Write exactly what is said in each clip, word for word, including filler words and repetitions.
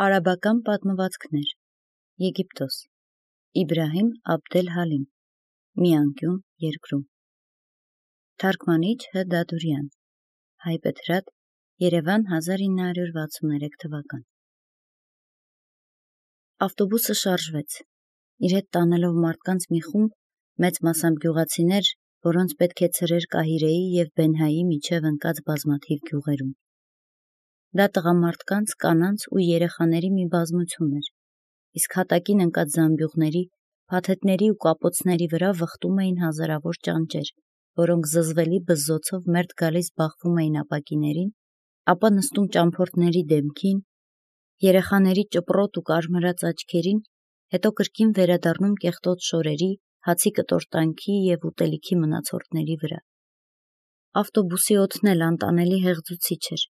Արաբական պատմվածքներ Եգիպտոս Իբրահիմ Աբդել-Հալիմ Մի անկյուն երկրում Թարգմանիչ Հ. Դադուրյան Հայբեթրատ Երևան հազար ինը հարյուր վաթսուններեք թվական Ավտոբուսը շարժվեց, իր հետ տանելով մարդկանց մի խումբ, մեծ մասամբ գյուղացիներ, որոնց պետք է ցրեր Կահիրեի և Բենհայի միջև ընկած բազմաթիվ գյուղերում։ Դա տղամարդկանց, կանանց ու երեխաների մի բազմություն էր, իսկ հատակին ընկած զամբյուղների, փաթեթների ու կապոցների վրա վխտում էին հազարավոր ճանճեր, որոնք զզվելի բզզոցով մերթ գալիս բախվում էին ապակիներին, ապա նստում ճամփորդների դեմքին, երեխաների ճպրոտ ու կարմրած աչքերին, հետո կրկին վերադառնում կեղտոտ շորերի, հացի կտորտանքի և ուտելիքի մնացորդների վրա։ Ավտոբուսի օդն էլ անտանելի հեղձուցիչ էր։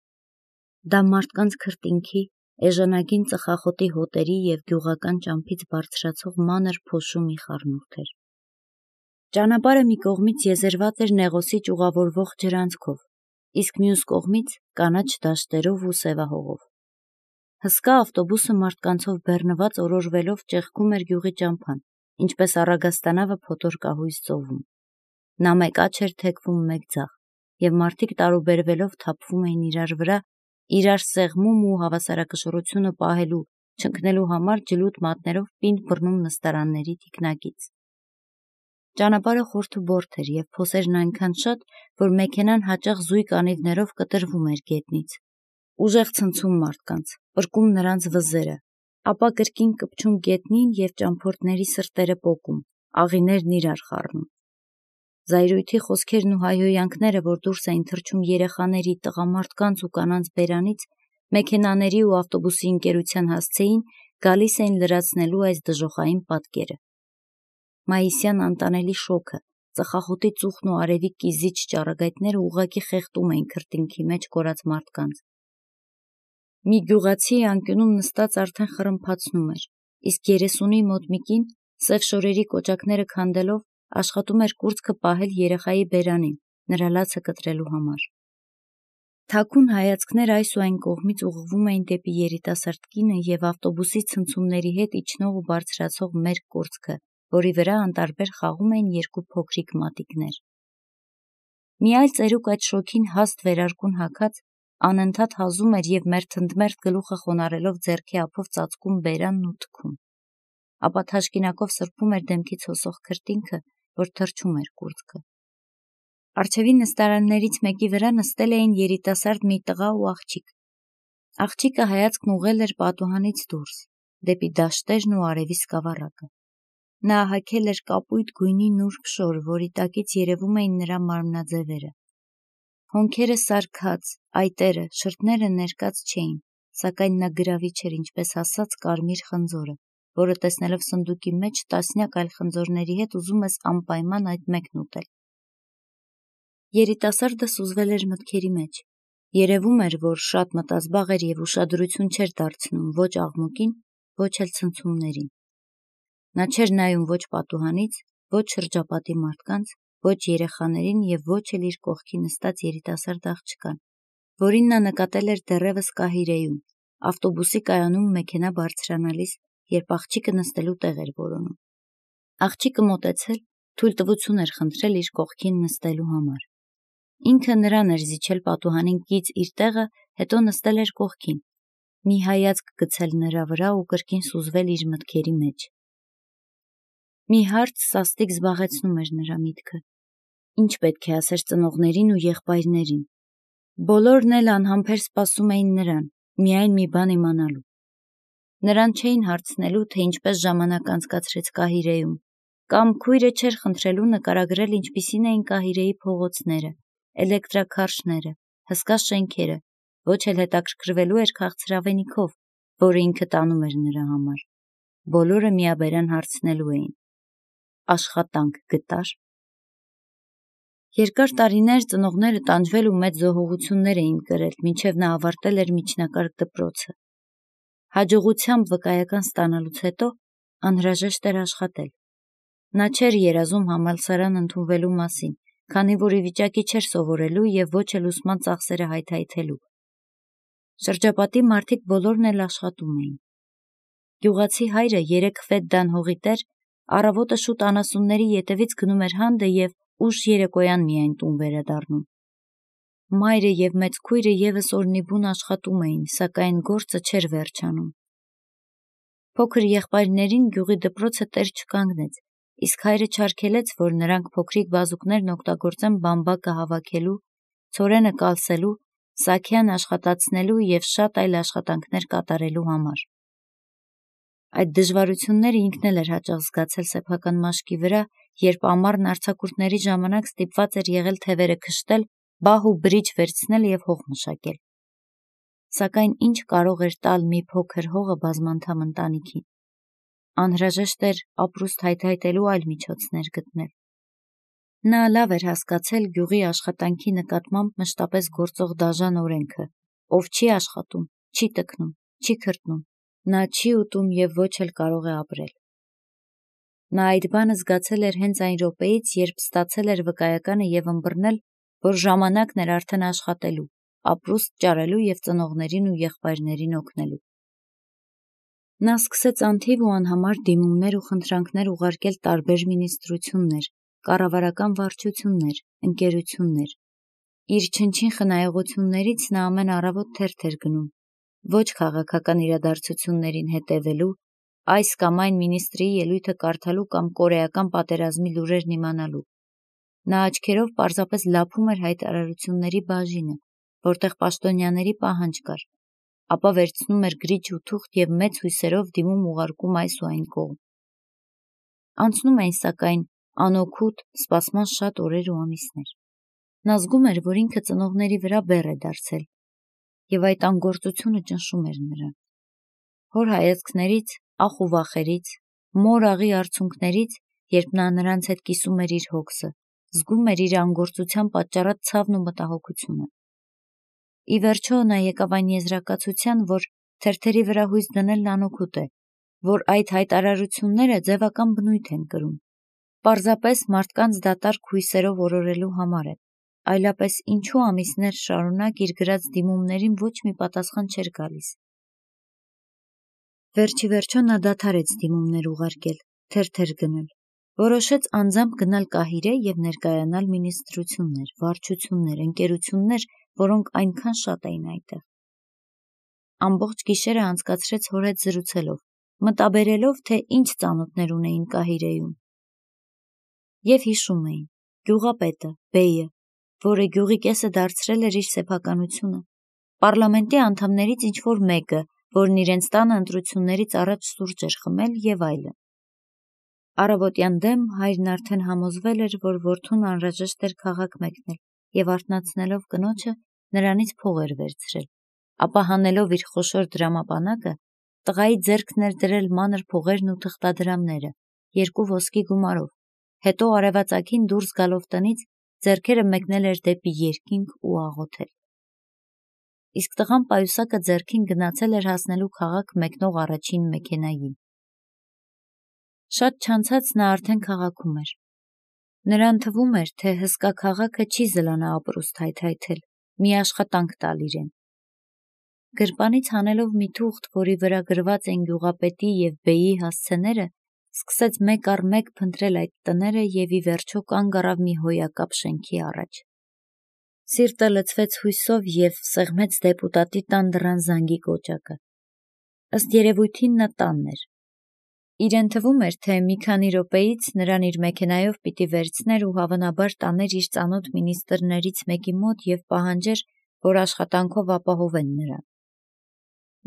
Դա մարդկանց քրտինքի, էժանագին ծխախոտի հոտերի և գյուղական ճամփից բարձրացող մանր փոշու մի խառնուրդ էր։ Ճանապարհը մի կողմից եզերված էր նեղոսի ճյուղավորվող ջրանցքով, իսկ մյուս կողմից կանաչ դաշտերով ու սևահողով։ Հսկա ավտոբուսը մարդկանցով բեռնված օրորվելով ճեղքում էր գյուղի ճամփան, ինչպես առագաստանավը փոթորկահույս ծովում։ Նա մեկ աջ էր թեքվում, մեկ ձախ, և մարդիկ տարուբերվելով թափվում էին իրար վրա, իրար սեղմում ու հավասարակշռությունը պահելու, չընկնելու համար ջլուտ մատներով պինդ բռնում նստարանների թիկնակից։ Ճանապարհը խորթուբորթ էր և փոսերն այնքան շատ, որ մեքենան հաճախ զույգ անիվներով կտրվում էր գետնից։ Ուժեղ ցնցում մարդկանց, պրկում նրանց վզերը, ապա կրկին կպչում գետնին և ճամփորդների սրտերը պոկում, աղիներն իրար խառնում։ Զայրույթի խոսքերն ու հայհոյանքները, որ դուրս էին թռչում երեխաների, տղամարդկանց ու կանանց բերանից, մեքենաների ու ավտոբուսի ընկերության հասցեին, գալիս էին լրացնելու այս դժոխային պատկերը։ Մայիսյան անտանելի շոգը, ծխախոտի ծուխն ու արևի կիզիչ ճառագայթները ուղղակի խեղդում էին քրտինքի մեջ կորած մարդկանց։ Մի գյուղացի անկյունում նստած արդեն խռմփացնում էր, իսկ երեսունի մոտ մի կին, սև շորերի կոճակները քանդելով, աշխատում էր կուրծքը պահել երեխայի բերանին, նրա լացը կտրելու համար։ Թաքուն հայացքներ այս ու այն կողմից ուղղվում էին դեպի երիտասարդ կինը և ավտոբուսի ցնցումների հետ իջնող ու բարձրացող մերկ կուրծքը, որի վրա անտարբեր խաղում էին երկու փոքրիկ մատիկներ։ Մի այլ ծերուկ այդ շոգին հաստ վերարկուն հագած, անընդհատ հազում էր և մերթընդմերթ գլուխը խոնարհելով ձեռքի ափով ծածկում բերանն ու թքում, ապա թաշկինակով սրբում էր դեմքից հոսող քրտինքը, որ թրջում էր կուրծքը։ Առջևի նստարաններից մեկի վրա նստել էին երիտասարդ մի տղա ու աղջիկ։ Աղջիկը հայացքն ուղղել էր պատուհանից դուրս, դեպի դաշտերն ու արևի սկավառակը։ Նա հագել էր կապույտ գույնի նուրբ շոր, որի տակից երևում էին նրա մարմնաձևերը։ Հոնքերը սարքած, այտերը, շրթները ներկած չէին, սակայն նա գրավիչ էր ինչպես հասած կարմիր խնձորը, որը տեսնելով սնդուկի մեջ տասնյակ այլ խնձորների հետ ուզում ես անպայման այդ մեկն ուտել։ Երիտասարդը սուզվել էր մտքերի մեջ։ Երևում էր, որ շատ մտազբաղ էր և ուշադրություն չէր դարձնում ոչ աղմուկին, ոչ էլ ցնցումներին։ Նա չէր նայում ոչ պատուհանից, ոչ շրջապատի մարդկանց, ոչ երեխաներին և ոչ էլ իր կողքի նստած երիտասարդ աղջկան, որին նա նկատել էր դեռևս Կահիրեում, ավտոբուսի կայանում մեքենա բարձրանալիս, երբ աղջիկը նստելու տեղ էր որոնում։ Աղջիկը մոտեցել, թույլտվություն էր խնդրել իր կողքին նստելու համար։ Ինքը նրան էր զիջել պատուհանին կից իր տեղը, հետո նստել էր կողքին, մի հայացք գցել նրա վրա ու կրկին սուզվել իր մտքերի մեջ։ Մի հարց սաստիկ զբաղեցնում էր նրա միտքը. ինչ պետք է ասեր ծնողներին ու եղբայրներին։ Բոլորն էլ անհամբեր սպասում էին նրան, միայն մի բան իմանալու։ Նրան չէին հարցնելու, թե ինչպես ժամանակ անցկացրեց Կահիրեում, կամ քույրը չէր խնդրելու նկարագրել ինչպիսին էին Կահիրեի փողոցները, էլեկտրաքարշները, հսկա շենքերը, ոչ էլ հետաքրքրվելու էր քաղցրավենիքով, որը ինքը տանում էր նրա համար։ Բոլորը միաբերան հարցնելու էին. աշխատանք գտա՞ր։ Երկար տարիներ ծնողները տանջվել ու մեծ զոհողություններ էին կրել, մինչև նա ավարտել էր միջնակարգ դպրոցը։ Հաջողությամբ վկայական ստանալուց հետո անհրաժեշտ էր աշխատել։ Նա չէր երազում համալսարան ընդունվելու մասին, քանի որ ի վիճակի չէր սովորելու և ոչ էլ ուսման ծախսերը հայթայթելու։ Շրջապատի մարդիկ բոլորն էլ աշխատում էին։ Գյուղացի հայրը երեք ֆեդդան հողի տեր, առավոտը շուտ անասունների ետևից գնում էր հանդը և ուշ երեկոյան միայն տուն վերադառնում։ Մայրը և մեծ քույրը ևս օրնիբուն աշխատում էին, սակայն գործը չէր վերջանում։ Փոքր եղբայրներին գյուղի դպրոցը տեր չկանգնեց, իսկ հայրը չարգելեց, որ նրանք փոքրիկ բազուկներն օգտագործեն բամբակը հավաքելու, ցորենը կալսելու, սաքյան աշխատացնելու և շատ այլ աշխատանքներ կատարելու համար։ Այդ դժվարությունները ինքն էլ էր հաճախ զգացել սեփական մաշկի վրա, երբ ամառն արձակուրդների ժամանակ ստիպված էր եղել թևերը քշտել, բահ ու բրիջ վերցնել և հող մշակել։ Սակայն ինչ կարող էր տալ մի փոքր հողը բազմանդամ ընտանիքին։ Անհրաժեշտ էր ապրուստ հայթայթելու այլ միջոցներ գտնել։ Նա լավ էր հասկացել գյուղի աշխատանքի նկատմամբ մշտապես գործող դաժան օրենքը, ով չի աշխատում, չի տքնում, չի քրտնում, նա չի ուտում և ոչ էլ կարող է ապրել։ Նա այդ բանը զգացել էր հենց այն րոպեից, երբ ստացել էր վկայականը և ըմբռնել, որ ժամանակն էր արդեն աշխատելու, ապրուստ ճարելու և ծնողներին ու եղբայրներին օգնելու։ Նա սկսեց անթիվ ու անհամար դիմումներ ու խնդրանքներ ուղարկել տարբեր մինիստրություններ, կառավարական վարչություններ, ընկերություններ։ Իր չնչին խնայողություններից նա ամեն առավոտ թերթ էր գնում, ոչ քաղաքական իրադարձություններին հետևելու, այս կամ այն մինիստրի ելույթը կարդալու կամ կորեական պատերազմի լուրերն իմանալու։ Նա աչքերով պարզապես լափում էր հայտարարությունների բաժինը, որտեղ պաշտոնյաների պահանջ կար, ապա վերցնում էր գրիչ ու թուղթ և մեծ հույսերով դիմում ուղարկում այս ու այն կողմ։ Անցնում էին, սակայն, անօգուտ, սպասման շատ օրեր ու ամիսներ։ Նա զգում էր, որ ինքը ծնողների վրա բեռ է դարձել, և այդ անգործությունը ճնշում էր նրան։ Հոր հայացքներից, ախ ու վախերից, մոր աղի արցունքներից, երբ նա նրանց հետ կիսում էր իր հոգսը, զգում էր իր անգործության պատճառած ցավն ու մտահոգությունը։ Ի վերջո նա եկավ այն եզրակացության, որ թերթերի վրա հույս դնելն անօգուտ է, որ այդ հայտարարությունները ձևական բնույթ են կրում, պարզապես մարդկանց դատարկ հույսերով օրորելու համար են, այլապես ինչու ամիսներ շարունակ իր գրած դիմումներին ոչ մի պատասխան չէր գալիս։ Վերջիվերջո նա դադարեց դիմումներ ուղարկել, թերթեր գնել, որոշեց անձամբ գնալ Կահիրե և ներկայանալ մինիստրություններ, վարչություններ, ընկերություններ, որոնք այնքան շատ էին այնտեղ։ Ամբողջ գիշերը անցկացրեց հոր հետ զրուցելով, մտաբերելով, թե ինչ ծանոթներ ունեին Կահիրեում։ Եվ հիշում էին գյուղապետը, բեյը, որը գյուղի կեսը դարձրել էր իր սեփականությունը, պառլամենտի անդամներից ինչ-որ մեկը, որն իրենց տանը ընտրություններից առաջ սուրճ էր խմել և այլն։ Առավոտյան դեմ հայրն արդեն համոզվել էր, որ որդուն անհրաժեշտ էր քաղաք մեկնել և արթնացնելով կնոջը նրանից փող էր վերցրել, ապա հանելով իր խոշոր դրամապանակը, տղայի ձեռքն էր դրել մանր փողերն ու թղթադրամները, երկու ոսկի գումարով, հետո արևածագին դուրս գալով տնից ձեռքերը մեկնել էր դեպի երկինք ու աղոթել։ Իսկ տղան պայուսակը ձեռքին գնացել էր հասնելու քաղաք մեկնող առաջին մեքենային։ Շատ չանցած նա արդեն քաղաքում էր։ Նրան թվում էր, թե հսկա քաղաքը չի զլանա ապրուստ հայթայթել, մի աշխատանք տալ իրեն։ Գրպանից հանելով մի թուղթ, որի վրա գրված էին գյուղապետի և բեյի հասցեները, սկսեց մեկ առ մեկ փնտրել այդ տները և ի վերջո կանգ առավ մի հոյակապ շենքի առաջ։ Սիրտը լցվեց հույսով և սեղմեց դեպուտատի տան դռան զանգի կոճակը։ Ըստ երևույթին նա տանն էր։ Իրեն թվում էր, թե մի քանի րոպեից նրան իր մեքենայով պիտի վերցներ ու հավանաբար տաներ իր ծանոթ մինիստրներից մեկի մոտ և պահանջեր, որ աշխատանքով ապահովեն նրան։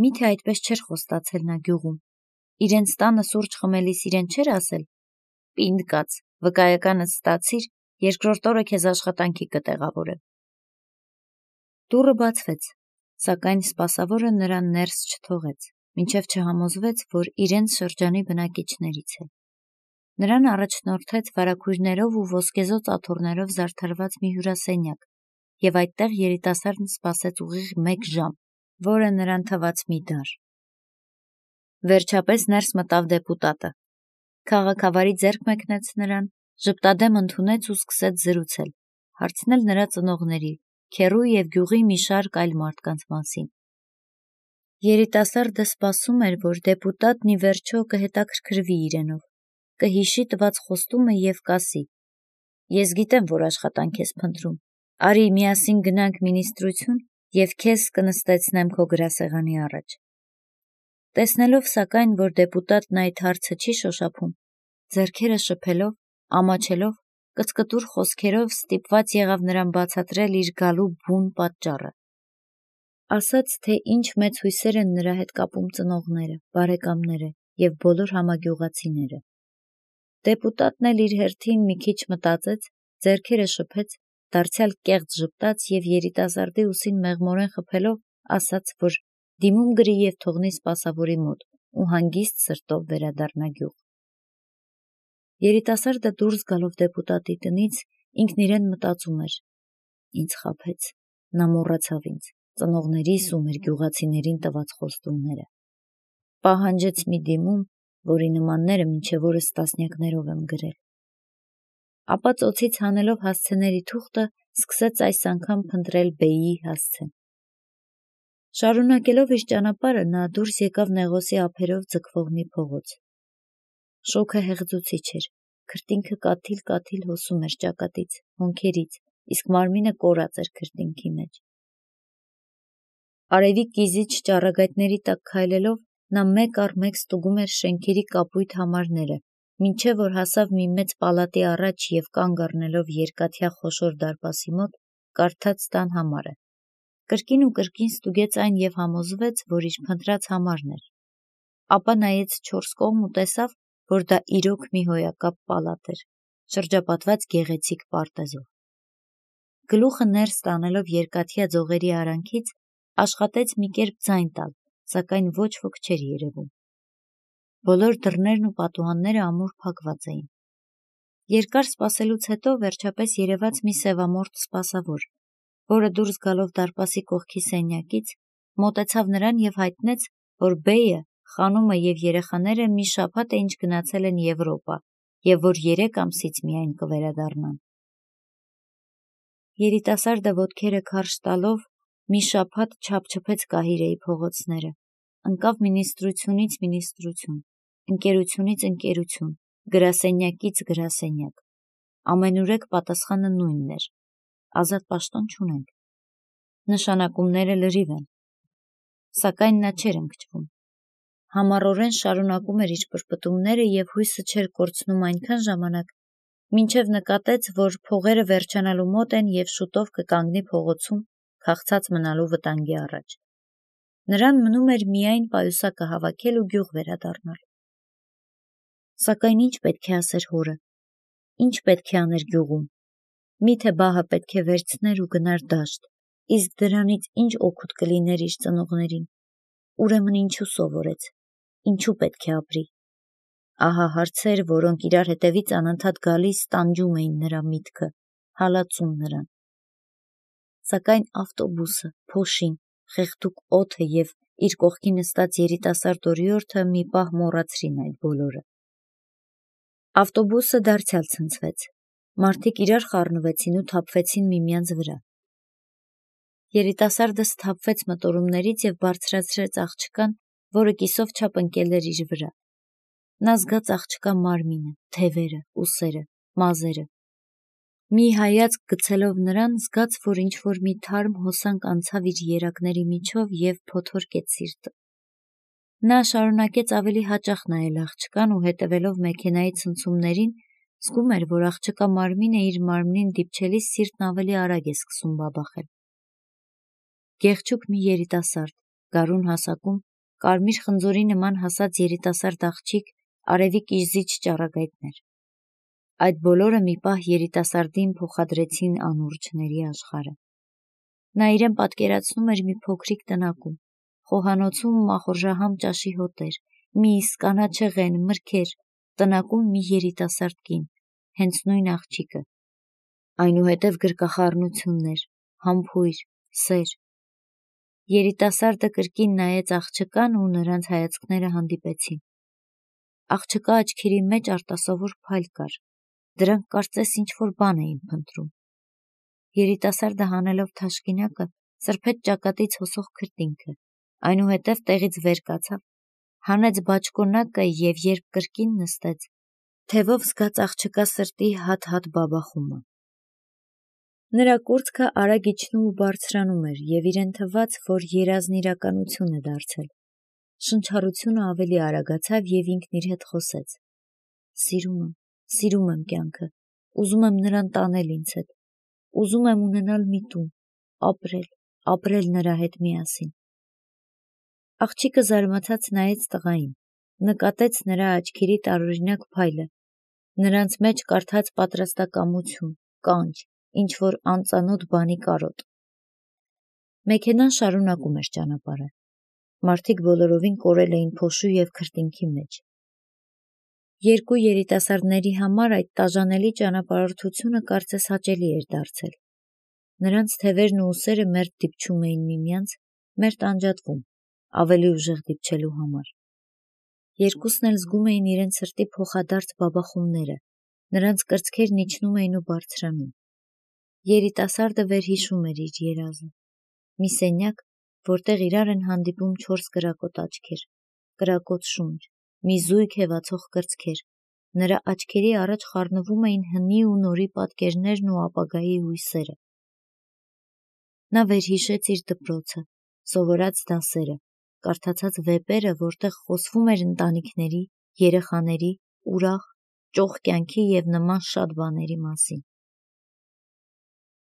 Միթե այդպես չէր խոստացել նա գյուղում։ Իրենց տանը սուրճ խմելիս իրեն չէր ասել. «Պինդ կաց, վկայականդ ստացիր, երկրորդ օրը քեզ աշխատանքի կտեղավորեմ»։ Դուռը բացվեց, սակայն սպասավորը նրան ներս չթողեց, մինչև չհամոզվեց, որ իրենց շրջանի բնակիչներից է։ Նրան առաջնորդեց վարագույրներով ու ոսկեզօծ աթոռներով զարդարված մի հյուրասենյակ, և այդտեղ երիտասարդն սպասեց ուղիղ մեկ ժամ, որը նրան թվաց մի դար։ Վերջապես ներս մտավ դեպուտատը։ Քաղաքավարի ձեռք մեկնեց նրան, ժպտադեմ ընդունեց ու սկսեց զրուցել, հարցնել նրա ծնողների, քեռու և գյուղի մի շարք այլ մարդկանց մասին։ Երիտասարդը սպասում էր, որ դեպուտատն ի վերջո կհետաքրքրվի իրենով, կհիշի տված խոստումը և կասի. «Ես գիտեմ, որ աշխատանք ես փնտրում, արի միասին գնանք մինիստրություն և քեզ կնստեցնեմ քո գրասեղանի առաջ»։ Տեսնելով սակայն, որ դեպուտատն այդ հարցը չի շոշափում, ձեռքերը շփելով, ամաչելով, կծկտուր խոսքերով ստիպված եղավ նրան բացատրել իր գալու բուն պատճառը։ Ասաց, թե ինչ մեծ հույսեր են նրա հետ կապում ծնողները, բարեկամները և բոլոր համագյուղացիները։ Դեպուտատն էլ իր հերթին մի քիչ մտածեց, ձեռքերը շփեց, դարձյալ կեղծ ժպտաց և երիտասարդի ուսին մեղմորեն խփելով ասաց, որ դիմում գրի և թողնի սպասավորի մոտ ու հանգիստ սրտով վերադառնա գյուղ։ Երիտասարդը դուրս գալով դեպուտատի տնից ինքն իրեն մտածում էր. «Ինձ խաբեց, նա մոռացավ ինձ, ծնողներիս ու մեր գյուղացիներին տված խոստումները։ Պահանջեց մի դիմում, որի նմանները մինչև օրս տասնյակներով եմ գրել»։ Ապա ծոցից հանելով հասցեների թուղթը, սկսեց այս անգամ փնտրել բեյի հասցեն։ Շարունակելով իր ճանապարհը, նա դուրս եկավ Նեղոսի ափերով ձգվող մի փողոց։ Շոգը հեղձուցիչ էր, քրտինքը կաթիլ-կաթիլ հոսում էր ճակատից, հոնքերից, իսկ մարմինը կորած էր քրտինքի մեջ։ Արևի կիզիչ ճառագայթների տակ քայլելով, նա մեկ առ մեկ ստուգում էր շենքերի կապույտ համարները, մինչև որ հասավ մի մեծ պալատի առաջ և կանգ առնելով երկաթյա խոշոր դարպասի մոտ, կարդաց տան համարը։ Կրկին ու կրկին ստուգեց այն և համոզվեց, որ իր փնտրած համարն էր։ Ապա նայեց չորս կողմ ու տեսավ, որ դա իրոք մի հոյակապ պալատ էր, շրջապատված գեղեցիկ պարտեզով։ Գլուխը ներս տանելով երկաթյա ձողերի արանքից, աշխատեց մի կերպ ձայն տալ, սակայն ոչ ոք չէր երևում։ Բոլոր դռներն ու պատուհանները ամուր փակված էին։ Երկար սպասելուց հետո վերջապես երևաց մի սևամորթ սպասավոր, որը դուրս գալով դարպասի կողքի սենյակից, մոտեցավ նրան և հայտնեց, որ բեյը, խանումը և երեխաները մի շաբաթ է ինչ գնացել են Եվրոպա և որ երեք ամսից միայն կվերադառնան։ Երիտասարդը ոտքերը քարշ տալով մի շաբաթ չափչփեց Կահիրեի փողոցները, ընկավ մինիստրությունից մինիստրություն, ընկերությունից ընկերություն, գրասենյակից գրասենյակ։ Ամենուրեք պատասխանը նույնն էր. ազատ պաշտոն չունենք։ Նշանակումները լրիվ են։ Սակայն նա չէր ընկճվում։ Համառորեն շարունակում էր իր պրպտումները և հույսը չէր կորցնում այնքան ժամանակ, մինչև նկատեց, որ փողերը վերջանալու մոտ են և շուտով կկանգնի փողոցում, քաղցած մնալու վտանգի առաջ։ Նրան մնում էր միայն պայուսակը հավաքել ու գյուղ վերադառնալ։ Սակայն ինչ պետք է ասեր հորը, ինչ պետք է աներ գյուղում։ Միթե բահը պետք է վերցներ ու գնար դաշտ, իսկ դրանից ինչ օգուտ կլիներ իր ծնողներին։ Ուրեմն ինչու սովորեց, ինչու պետք է ապրի։ Ահա հարցեր, որոնք իրար հետևից անընդհատ գալիս տանջում էին նրա միտքը, հալածում նրան։ Սակայն ավտոբուսը, փոշին, խեղդուկ օդը և իր կողքի նստած երիտասարդ օրիորդը մի պահ մոռացրին այդ բոլորը։ Ավտոբուսը դարձյալ ցնցվեց։ Մարդիկ իրար խառնվեցին ու թափվեցին միմյանց վրա։ Երիտասարդը սթափվեց մտորումներից և բարձրացրեց աղջկան, որը կիսով չափ ընկել էր իր վրա։ Նա զգաց աղջկա մարմինը, թևերը, ուսերը, մազերը։ Մի հայացք գցելով նրան, զգաց, որ ինչ-որ մի թարմ հոսանք անցավ իր երակների միջով և փոթորկեց սիրտը։ Նա շարունակեց ավելի հաճախ նայել աղջկան ու հետևելով մեքենայի ցնցումներին, զգում էր, որ աղջկա մարմինը իր մարմնին դիպչելիս սիրտն ավելի արագ է սկսում բաբախել։ Գեղչուկ մի երիտասարդ, գարուն հասակում, կարմիր խնձորի նման հասած երիտասարդ աղջիկ, արևի կիզիչ ճառագայթներ։ Այդ բոլորը մի պահ երիտասարդին փոխադրեցին անուրջների աշխարհը։ Նա իրեն պատկերացնում էր մի փոքրիկ տնակում, խոհանոցում մախորժահամ ճաշի հոտեր, միս, կանաչեղեն, մրգեր, տնակում մի երիտասարդ կին, հենց նույն աղջիկը, այնուհետև գրկախառնություններ, համբույր, սեր։ Երիտասարդը կրկին նայեց աղջկան ու նրանց հայացքները հանդիպեցին։ Աղջկա աչքերի մեջ արտասովոր փայլ կար, դրանք կարծես ինչ-որ բան էին փնտրում։ Երիտասարդը հանելով թաշկինակը, սրբեց ճակատից հոսող քրտինքը, այնուհետև տեղից վեր կացավ, հանեց բաճկոնակը և երբ կրկին նստեց, թևով զգաց աղջկա սրտի հատ-հատ բաբախումը։ Նրա կուրծքը արագ իջնում ու բարձրանում էր և իրեն թվաց, որ երազն իրականություն է դարձել։ Շնչառությունը ավելի արագացավ և ինքն իր հետ խոսեց. «Սիրում եմ, սիրում եմ կյանքը, ուզում եմ նրան տանել ինձ հետ, ուզում եմ ունենալ մի տուն, ապրել, ապրել նրա հետ միասին»։ Աղջիկը զարմացած նայեց տղային, նկատեց նրա աչքերի տարօրինակ փայլը, նրանց մեջ կարդաց պատրաստակամություն, կանչ, ինչ-որ անծանոթ բանի կարոտ։ Մեքենան շարունակում էր ճանապարհը։ Մարդիկ բոլորովին կորել էին փոշու և քրտինքի մեջ։ Երկու երիտասարդների համար այդ տաժանելի ճանապարհորդությունը կարծես հաճելի էր դարձել։ Նրանց թևերն ու ուսերը մերթ դիպչում էին միմյանց, մերթ անջատվում, ավելի ուժեղ դիպչելու համար։ Երկուսն էլ զգում էին իրենց սրտի փոխադարձ բաբախումները, նրանց կրծքերն իջնում էին ու բարձրանում։ Երիտասարդը վերհիշում էր իր երազը։ Մի սենյակ, որտեղ իրար են հանդիպում չորս կրակոտ աչքեր, կրակոտ շունչ, մի զույգ հևացող կրծքեր, նրա աչքերի առաջ խառնվում էին հնի ու նորի պատկերներն ու ապագայի հույսերը։ Նա վերհիշեց իր դպրոցը, սովորած դասերը, կարդացած վեպերը, որտեղ խոսվում էր ընտանիքների, երեխաների, ուրախ, ճոխ կյանքի և նման շատ բաների մասին։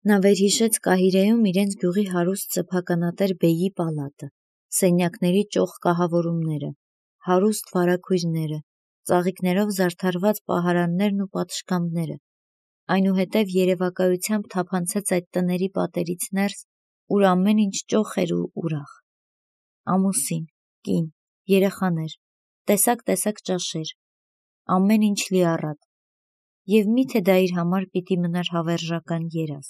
Նա վերհիշեց Կահիրեում իրենց գյուղի հարուստ սեփականատեր բեյի պալատը, սենյակների ճոխ կահավորումները, հարուստ վարագույրները, ծաղիկներով զարդարված պահարաններն ու պատշգամբները, այնուհետև երևակայությամբ թափանցեց այդ տների պատերից ներս, ուր ամեն ինչ ճոխ էր ու ուրախ։ Ամուսին, կին, երեխաներ, տեսակ-տեսակ ճաշեր, ամեն ինչ լիառատ, և միթե դա իր համար պիտի մնար հավերժական երազ։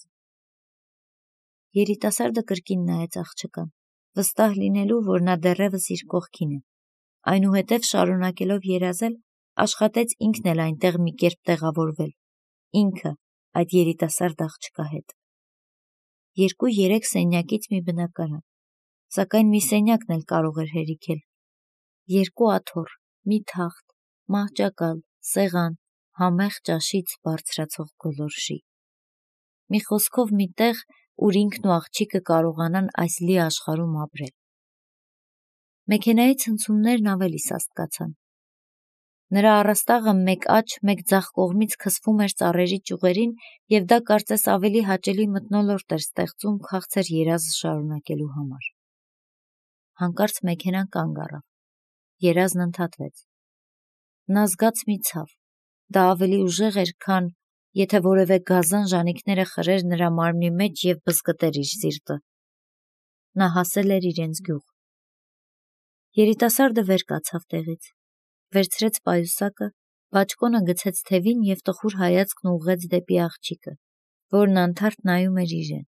Երիտասարդը կրկին նայեց աղջկան, վստահ լինելու, որ նա դեռևս իր կողքին է, այնուհետև շարունակելով երազել, աշխատեց ինքն էլ այնտեղ մի կերպ տեղավորվել, ինքը այդ երիտասարդ աղջկա հետ։ Երկու-երեք սենյակից մի բնակարան, սակայն մի սենյակն էլ կարող էր հերիքել։ Երկու աթոռ, մի թախտ, մահճակալ, սեղան, համեղ ճաշից բարձրացող գոլորշի։ Մի խոսքով մի տեղ, ուր ինքն ու աղջիկը կարողանան այս լի աշխարհում ապրել։ Մեքենայի ցնցումներն ավելի սաստկացան։ Նրա առաստաղը մեկ աջ, մեկ ձախ կողմից քսվում էր ծառերի ճյուղերին, և դա կարծես ավելի հաճելի մթնոլորտ էր ստեղծում քաղցր երազը շարունակելու համար։ Հանկարծ մեքենան կանգ առավ։ Երազն ընդհատվեց։ Նա զգաց մի ցավ։ Դա ավելի ուժեղ էր, քան եթե որևէ գազան ժանիքները խրեր նրա մարմնի մեջ և բզկտեր իր սիրտը։ Նա հասել էր իրենց գյուղ։ Երիտասարդը վեր կացավ տեղից, վերցրեց պայուսակը, բաճկոնը գցեց թևին և տխուր հայացքն ուղղեց դեպի աղջիկը, որն անթարթ նայում էր իրեն։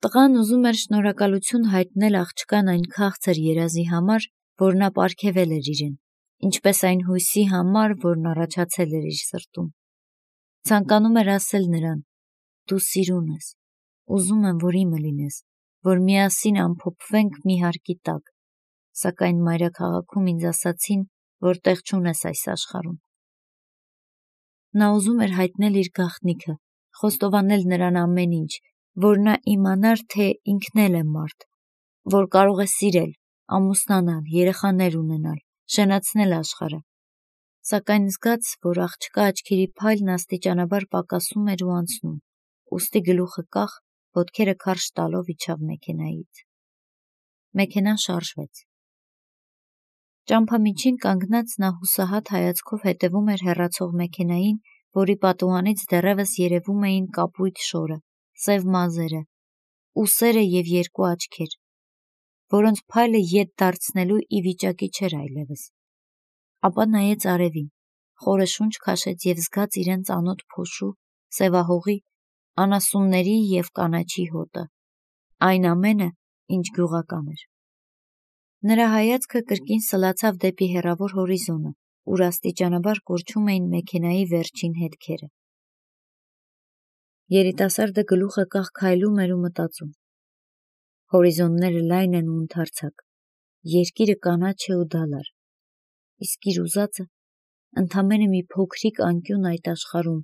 Տղան ուզում էր շնորհակալություն հայտնել աղջկան այն քաղցր երազի համար, որ նա պարգևել էր իրեն, ինչպես այն հույսի համար, որն առաջացել էր իր սրտում։ Ցանկանում էր ասել նրան. «Դու սիրուն ես, ուզում եմ, որ իմը լինես, որ միասին ամփոփվենք մի հարկի տակ, սակայն մայրաքաղաքում ինձ ասացին, որ տեղ չունես այս աշխարհում»։ Նա ուզում էր հայտնել իր գաղտնիքը, խոստովանել նրան ամեն ինչ, որ նա իմանար, թե ինքն էլ է մարդ, որ կարող է սիրել, ամուսնանալ, երեխաներ ունենալ, շենացնել աշխարհը, սակայն զգաց, որ աղջկա աչքերի փայլն աստիճանաբար պակասում էր ու անցնում, ուստի գլուխը կախ, ոտքերը քարշ տալով իջավ մեքենայից։ Մեքենան շարժվեց։ Ճամփամիջին կանգնած նա հուսահատ հայացքով հետևում էր հեռացող մեքենային, որի պատուհանից դեռևս երևում էին կապույտ շորը, սև մազերը, ուսերը և երկու աչքեր, որոնց փայլը ետ դարձնելու ի վիճակի չէր այլևս։ Ապա նայեց արևին, խորը շունչ քաշեց և զգաց իրեն ծանոթ փոշու, սևահողի, անասունների և կանաչի հոտը, այն ամենը, ինչ գյուղական էր։ Նրա հայացքը կրկին սլացավ դեպի հեռավոր հորիզոնը, ուր աստիճանաբար կորչում էին մեքենայի վերջին հետքերը։ Երիտասարդը գլուխը կախ քայլում էր ու մտածում. Հորիզոնները լայն են ու ընդարձակ, երկիրը կանաչ է ու դալար, իսկ իր ուզածը ընդամենը մի փոքրիկ անկյուն այդ աշխարհում,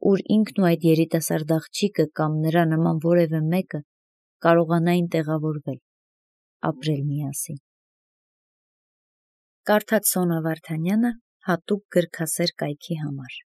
ուր ինքն ու այդ երիտասարդ աղջիկը կամ նրա նման որևէ մեկը կարողանային տեղավորվել, ապրել միասին։ Կարդաց Սոնա Վարդանյանը հատուկ գրքասեր կայքի համար։